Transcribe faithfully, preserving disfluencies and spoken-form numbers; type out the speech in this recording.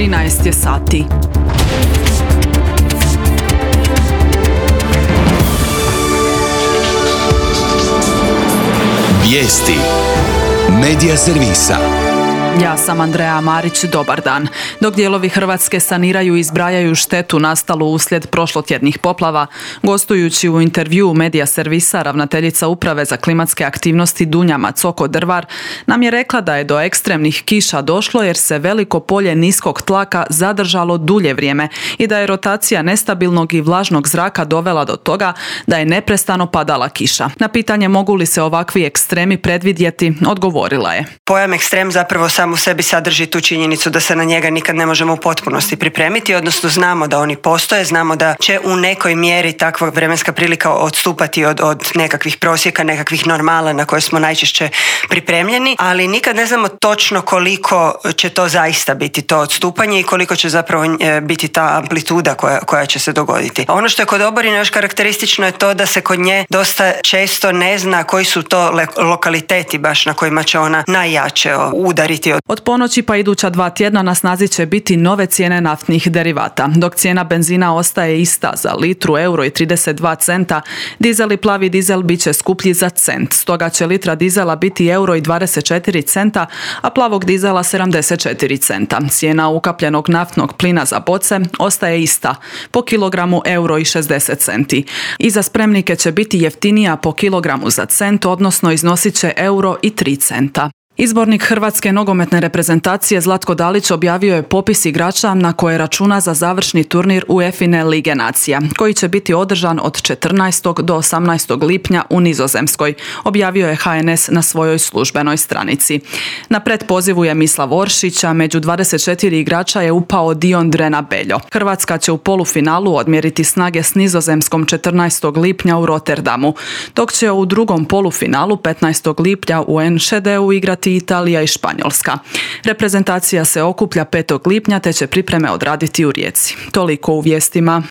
trinaest je sati. Vijesti Medija servisa. Ja sam Andreja Marić, dobar dan. Dok dijelovi Hrvatske saniraju i zbrajaju štetu nastalu uslijed prošlotjednih poplava, gostujući u intervjuu Medija servisa, ravnateljica Uprave za klimatske aktivnosti Dunja Macoko-Drvar nam je rekla da je do ekstremnih kiša došlo jer se veliko polje niskog tlaka zadržalo dulje vrijeme i da je rotacija nestabilnog i vlažnog zraka dovela do toga da je neprestano padala kiša. Na pitanje mogu li se ovakvi ekstremi predvidjeti, odgovorila je. Pojam ekstrem zapravo sam u sebi sadrži tu činjenicu da se na njega nikad ne možemo u potpunosti pripremiti, odnosno znamo da oni postoje, znamo da će u nekoj mjeri takva vremenska prilika odstupati od, od nekakvih prosjeka, nekakvih normala na koje smo najčešće pripremljeni, ali nikad ne znamo točno koliko će to zaista biti to odstupanje i koliko će zapravo biti ta amplituda koja, koja će se dogoditi. Ono što je kod oborina još karakteristično je to da se kod nje dosta često ne zna koji su to le- lokaliteti baš na kojima će ona najjače udariti. Od ponoći pa iduća dva tjedna na snazi će biti nove cijene naftnih derivata. Dok cijena benzina ostaje ista za litru euro i trideset dva centa, dizel i plavi dizel bit će skuplji za cent. Stoga će litra dizela biti euro i dvadeset četiri centa, a plavog dizela sedamdeset četiri centa. Cijena ukapljenog naftnog plina za boce ostaje ista, po kilogramu euro i šezdeset centi. I za spremnike će biti jeftinija po kilogramu za cent, odnosno iznosit će euro i tri centa. Izbornik Hrvatske nogometne reprezentacije Zlatko Dalić objavio je popis igrača na koje računa za završni turnir UEFA Lige nacija, koji će biti održan od četrnaestog do osamnaestog lipnja u Nizozemskoj, objavio je H N S na svojoj službenoj stranici. Na pretpozivu je Mislav Oršić, a među dvadeset četiri igrača je upao Dion Drena Beljo. Hrvatska će u polufinalu odmjeriti snage s Nizozemskom četrnaestog lipnja u Rotterdamu, dok će u drugom polufinalu petnaestog lipnja u Enschedeu igrati Italija i Španjolska. Reprezentacija se okuplja petog lipnja te će pripreme odraditi u Rijeci. Toliko u vijestima.